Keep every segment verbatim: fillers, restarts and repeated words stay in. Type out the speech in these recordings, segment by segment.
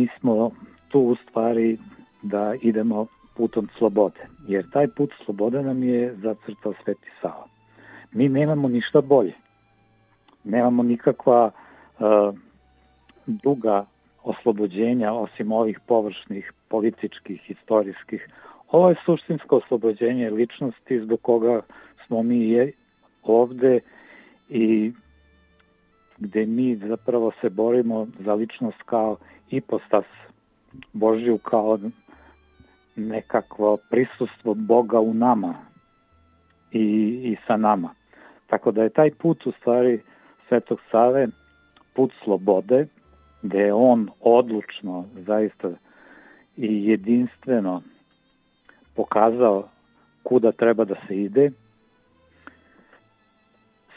mi smo tu u stvari da idemo putom slobode, jer taj put slobode nam je zacrtao Sveti Sava. Mi nemamo ništa bolje, nemamo nikakva uh, druga oslobođenja osim ovih površnih političkih, historijskih. Ovo je suštinsko oslobođenje ličnosti zbog koga smo mi je ovde i gde mi zapravo se borimo za ličnost kao ipostas Božju, kao nekakvo prisustvo Boga u nama i, i sa nama. Tako da je taj put u stvari Svetog Save put slobode, gde je on odlučno, zaista i jedinstveno pokazao kuda treba da se ide.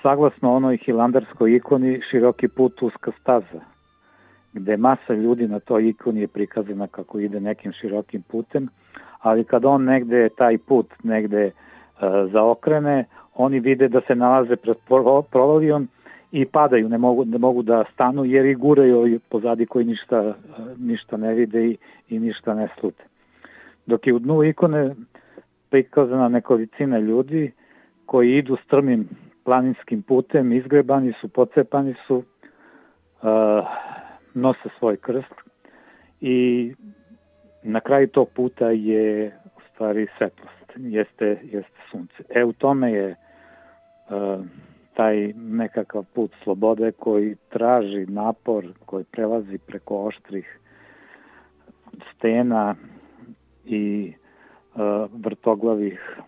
Saglasno onoj hilandarskoj ikoni široki put, uska staza, gde masa ljudi na toj ikoni je prikazana kako ide nekim širokim putem, ali kad on negde taj put negde uh, zaokrene, oni vide da se nalaze pred provalijom i padaju, ne mogu, ne mogu da stanu jer i guraju pozadi koji ništa, ništa ne vide i, i ništa ne slute. Dok je u dnu ikone prikazana nekolicina ljudi koji idu strmim planinskim putem, izgrebani su, pocepani su, uh, nose svoj krst i na kraju tog puta je u stvari svetlost, jeste, jeste sunce. E u tome je uh, taj nekakav put slobode koji traži napor, koji prelazi preko oštrih stena i uh, vrtoglavih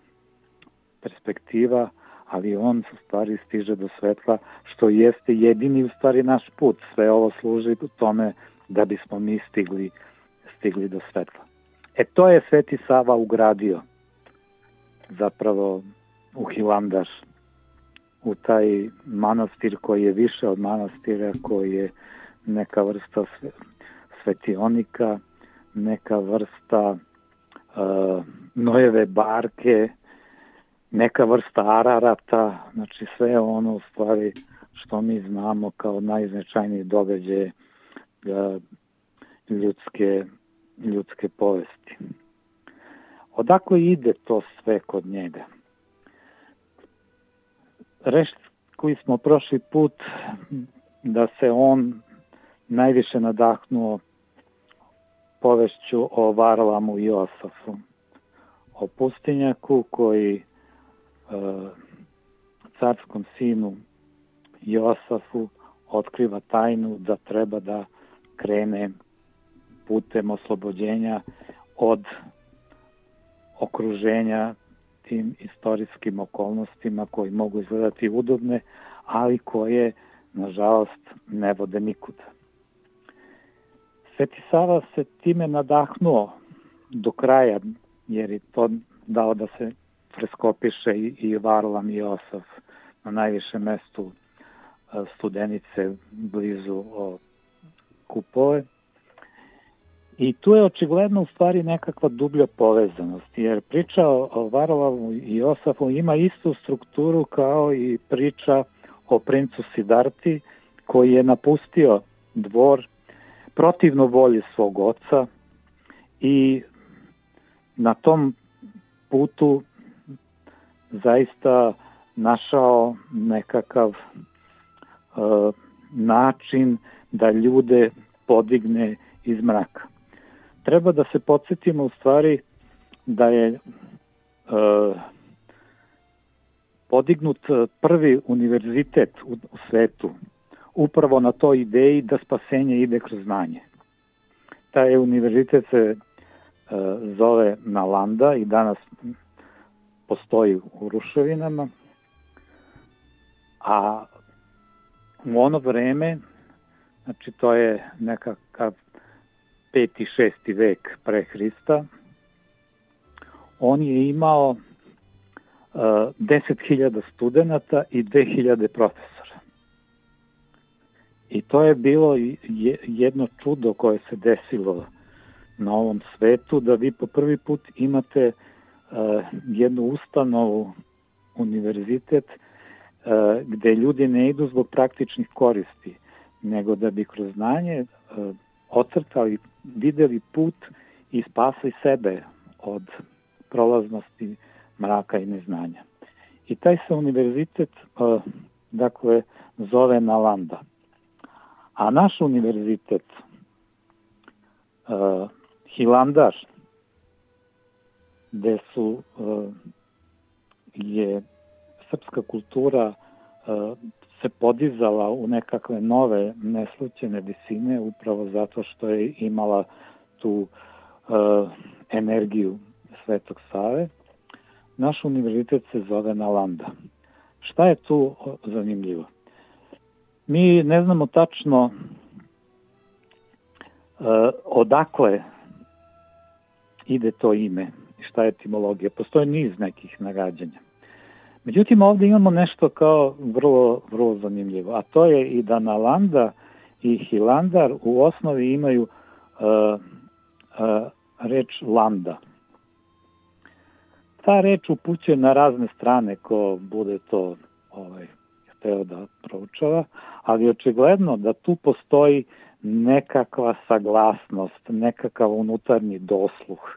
perspektiva, ali on u stvari stiže do svetla, što jeste jedini u stvari naš put. Sve ovo služi u tome da bismo mi stigli, stigli do svetla. E to je Sveti Sava ugradio zapravo u Hilandar, u taj manastir koji je više od manastira, koji je neka vrsta svetionika, neka vrsta uh, Nojeve barke, neka vrsta Ararata, znači sve ono u stvari što mi znamo kao najznačajniji događaje uh, ljudske, ljudske povesti. Odakle ide to sve kod njega? Rekli smo prošli put da se on najviše nadahnuo povešću o Varlamu i Josafu, o pustinjaku koji e, carskom sinu Josafu otkriva tajnu da treba da krene putem oslobođenja od okruženja tim istorijskim okolnostima koji mogu izgledati udobne, ali koje, nažalost, ne vode nikuda. Sveti Sava se time nadahnuo do kraja, jer je to dao da se freskopiše i, i Varlam i Josaf na najvišem mestu Studenice, blizu o Kupove. I tu je očigledno u stvari nekakva dublja povezanost, jer priča o Varlamu i Josafu ima istu strukturu kao i priča o princu Sidarti, koji je napustio dvor protivno volji svog oca i na tom putu zaista našao nekakav uh, način da ljude podigne iz mraka. Treba da se podsjetimo u stvari da je uh, podignut prvi univerzitet u, u svetu upravo na toj ideji da spasenje ide kroz znanje. Taj univerzitet se uh, zove Nalanda i danas postoji u ruševinama, a u ono vreme, znači to je nekakav peti, šesti vek pre Hrista, on je imao uh, deset hiljada studenta i dve hiljade profesora. I to je bilo jedno čudo koje se desilo na ovom svetu, da vi po prvi put imate uh, jednu ustanovu, univerzitet, uh, gde ljudi ne idu zbog praktičnih koristi, nego da bi kroz znanje uh, ocrtali, videli put i spasli sebe od prolaznosti, mraka i neznanja. I taj se univerzitet uh, dakle zove Nalanda. A naš univerzitet uh, Hilandar, gde su uh, je srpska kultura uh, se podizala u nekakve nove neslućene visine upravo zato što je imala tu uh, energiju Svetog Save. Naš univerzitet se zove Nalanda. Šta je tu zanimljivo? Mi ne znamo tačno uh, odakle ide to ime i šta je etimologija. Postoje niz nekih nagađanja. Međutim, ovdje imamo nešto kao vrlo, vrlo zanimljivo, a to je i da Nalanda i Hilandar u osnovi imaju uh, uh, reč landa. Ta reč upućuje na razne strane ko bude to ovaj, hteo da proučava, ali očigledno da tu postoji nekakva saglasnost, nekakav unutarnji dosluh,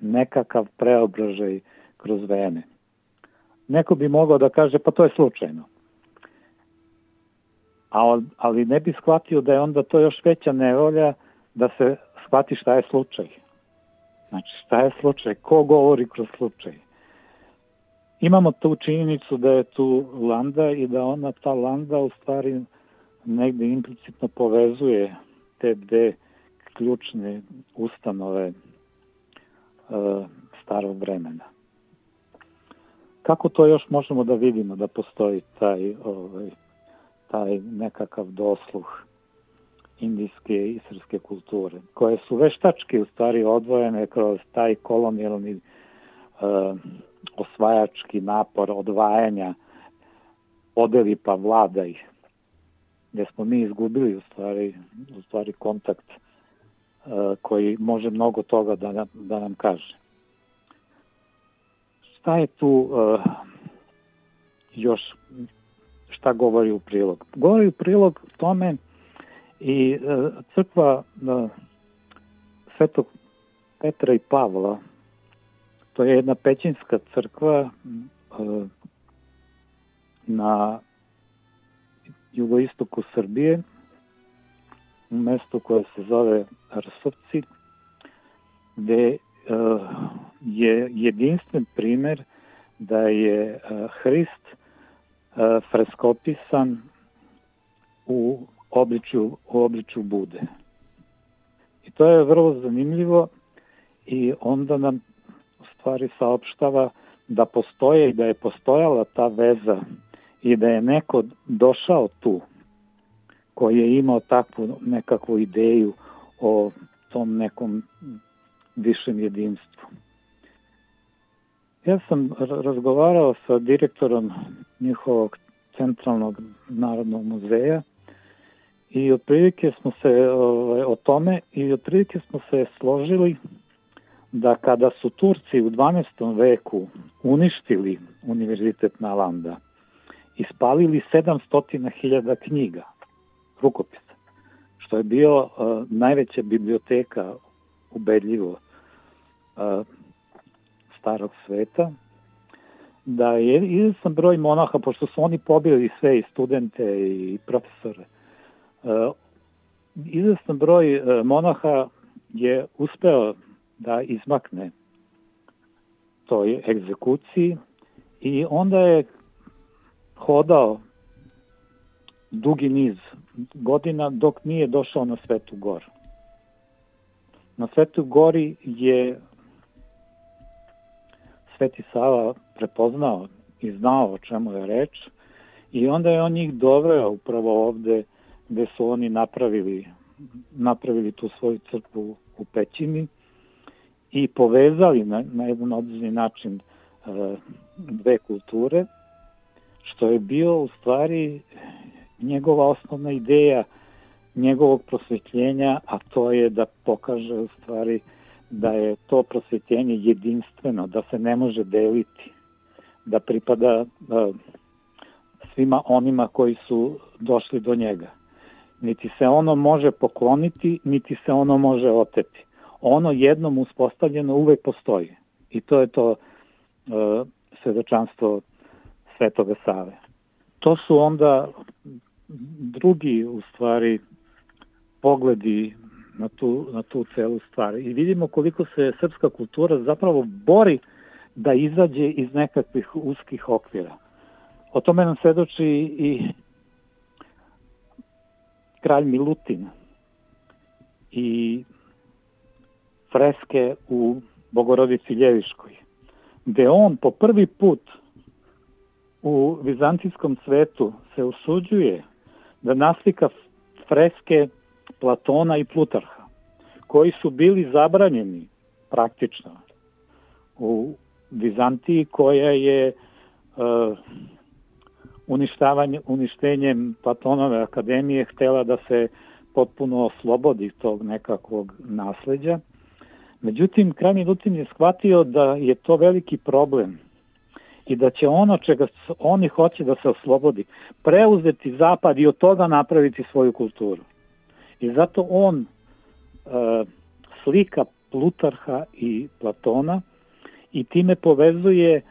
nekakav preobražaj kroz vreme. Neko bi mogao da kaže, pa to je slučajno. A, ali ne bi shvatio da je onda to još veća nevolja da se shvati šta je slučaj. Znači, šta je slučaj? Ko govori kroz slučaj? Imamo tu činjenicu da je tu landa i da ona, ta landa, u stvari negde implicitno povezuje te dve ključne ustanove uh, starog vremena. Kako to još možemo da vidimo da postoji taj, ovaj, taj nekakav dosluh indijske i srpske kulture, koje su veštački u stvari odvojene kroz taj kolonijalni uh, osvajački napor odvajanja, podeli pa vladaj, gde smo mi izgubili u stvari, u stvari kontakt uh, koji može mnogo toga da nam, da nam kaže. Šta je tu uh, još, šta govori u prilog? Govori u prilog tome i uh, crkva uh, Svetog Petra i Pavla. To je jedna pećinska crkva uh, na jugoistoku Srbije, u mestu koje se zove Rsovci, gde uh, je jedinstven primer da je uh, Hrist uh, freskopisan u obličju, u obličju Bude. I to je vrlo zanimljivo i onda nam u stvari saopštava da postoje i da je postojala ta veza i da je neko došao tu koji je imao takvu nekakvu ideju o tom nekom višem jedinstvu. Ja sam razgovarao sa direktorom njihovog centralnog narodnog muzeja i otprilike smo se ovaj, o tome i otprilike smo se složili da kada su Turci u dvanaestom veku uništili Univerzitet Nalanda i spalili sedamsto hiljada knjiga, rukopisa, što je bio uh, najveća biblioteka ubedljivo uh, starog sveta, da je izvestan broj monaha, pošto su oni pobili sve i studente i profesore, uh, izvestan broj uh, monaha je uspeo da izmakne toj egzekuciji i onda je hodao dugi niz godina dok nije došao na Svetu Goru. Na Svetoj Gori je Sveti Sava prepoznao i znao o čemu je reč i onda je on njih doveo upravo ovde gde su oni napravili, napravili tu svoju crkvu u pećini i povezali na, na jedan određeni način uh, dve kulture, što je bio u stvari njegova osnovna ideja njegovog prosvetljenja, a to je da pokaže u stvari da je to prosvetljenje jedinstveno, da se ne može deliti, da pripada uh, svima onima koji su došli do njega. niti se ono može pokloniti, niti se ono može oteti. Ono jednom uspostavljeno uvek postoji. I to je to uh, svedočanstvo Svetoga Save. To su onda drugi, u stvari, pogledi na tu, na tu celu stvar. I vidimo koliko se srpska kultura zapravo bori da izađe iz nekakvih uskih okvira. O tome nam svedoči i kralj Milutin i freske u Bogorodici Ljeviškoj, gde on po prvi put u vizantijskom svetu se usuđuje da naslika freske Platona i Plutarha, koji su bili zabranjeni praktično u Vizantiji, koja je uh, uništavanje, uništenjem Platonove akademije htela da se potpuno oslobodi tog nekakvog nasleđa. Međutim, kralj Milutin je shvatio da je to veliki problem i da će ono čega oni hoće da se oslobodi preuzeti zapad i od toga napraviti svoju kulturu. I zato on e, slika Plutarha i Platona i time povezuje e,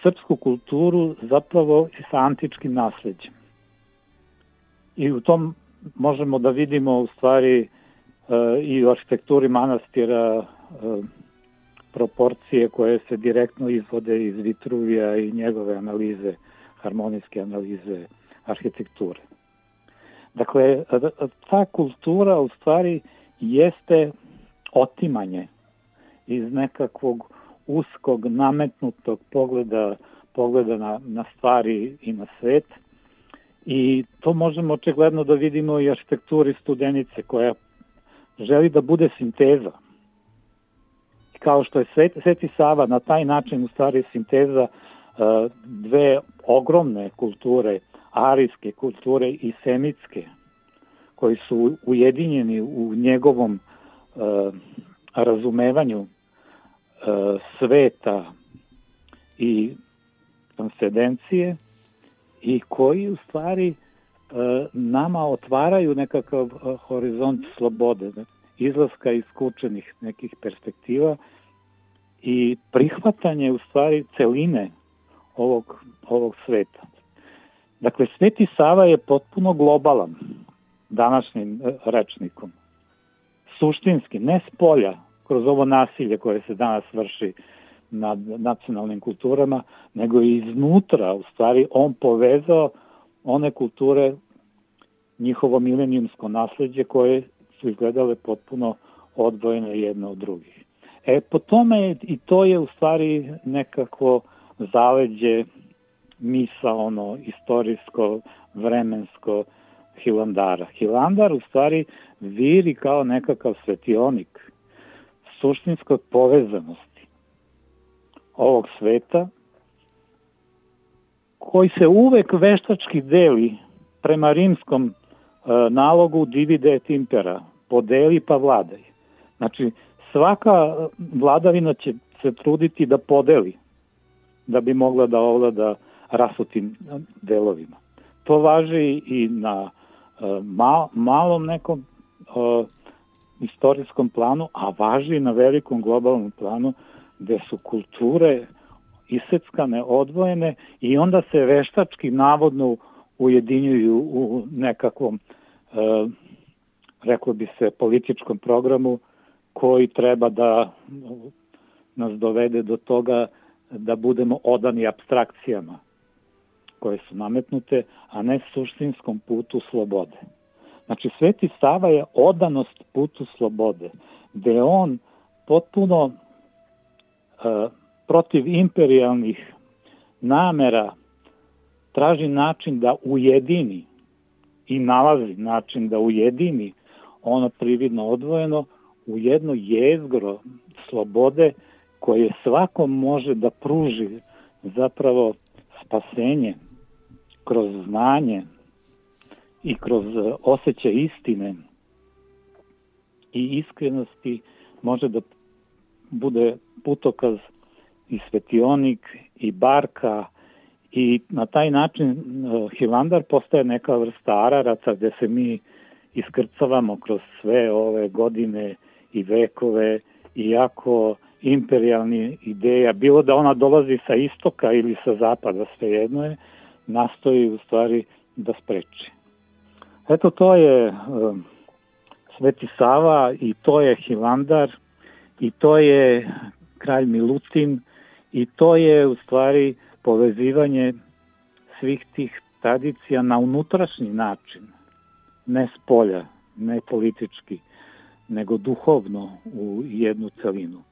srpsku kulturu zapravo sa antičkim nasleđem. I u tom možemo da vidimo u stvari e, i u arhitekturi manastira e, proporcije koje se direktno izvode iz Vitruvija i njegove analize, harmonijske analize arhitekture. Dakle, ta kultura u stvari jeste otimanje iz nekakvog uskog, nametnutog pogleda, pogleda na, na stvari i na svet. I to možemo očigledno da vidimo i arhitekturi Studenice, koja želi da bude sinteza. I kao što je Svet, Sveti Sava na taj način u stvari sinteza uh, dve ogromne kulture, arijske kulture i semitske, koji su ujedinjeni u njegovom uh, razumevanju uh, sveta i transcendencije i koji u stvari uh, nama otvaraju nekakav uh, horizont slobode, izlaska iz skučenih nekih perspektiva i prihvatanje u stvari celine ovog, ovog sveta. Dakle, Sveti Sava je potpuno globalan današnjim rečnikom. Suštinski, ne s polja, kroz ovo nasilje koje se danas vrši nad nacionalnim kulturama, nego i iznutra, u stvari, on povezao one kulture, njihovo milenijumsko nasleđe koje su izgledale potpuno odvojene jedne od drugih. E, po tome i to je u stvari nekakvo zaleđe misaono, istorijsko, vremensko Hilandara. Hilandar u stvari viri kao nekakav svetionik suštinskoj povezanosti ovog sveta, koji se uvek veštački deli prema rimskom e, nalogu divide et impera, podeli pa vladaj. Znači, svaka vladavina će se truditi da podeli, da bi mogla da ovlada rasutim delovima. To važi i na uh, mal, malom nekom uh, istorijskom planu, a važi i na velikom globalnom planu, gde su kulture iseckane, odvojene i onda se veštački navodno ujedinjuju u nekakvom, uh, reklo bi se, političkom programu koji treba da nas dovede do toga da budemo odani apstrakcijama koje su nametnute, a ne suštinskom putu slobode. Znači, Sveti Sava je odanost putu slobode, gde on potpuno uh, protiv imperijalnih namera traži način da ujedini i nalazi način da ujedini ono prividno odvojeno u jedno jezgro slobode koje svakom može da pruži zapravo spasenje kroz znanje i kroz osjećaj istine i iskrenosti, može da bude putokaz i svetionik i barka I na taj način Hilandar postaje neka vrsta Araraca gde se mi iskrcavamo kroz sve ove godine i vekove, iako imperijalni ideja, bilo da ona dolazi sa istoka ili sa zapada, svejedno je, nastoji u stvari da spreči. Eto, to je um, Sveti Sava i to je Hilandar i to je kralj Milutin i to je u stvari povezivanje svih tih tradicija na unutrašnji način, ne s polja, ne politički, nego duhovno u jednu celinu.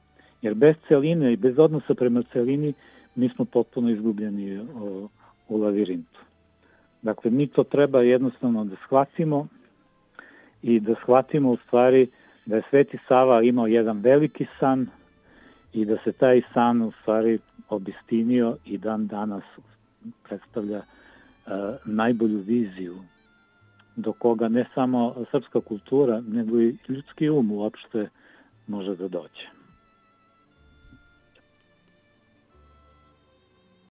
Jer bez celine i bez odnosa prema celini mi smo potpuno izgubljeni o, u lavirintu. Dakle, mi to treba jednostavno da shvatimo i da shvatimo u stvari da je Sveti Sava imao jedan veliki san i da se taj san u stvari obistinio i dan danas predstavlja uh, najbolju viziju do koga ne samo srpska kultura, nego i ljudski um uopšte može da dođe.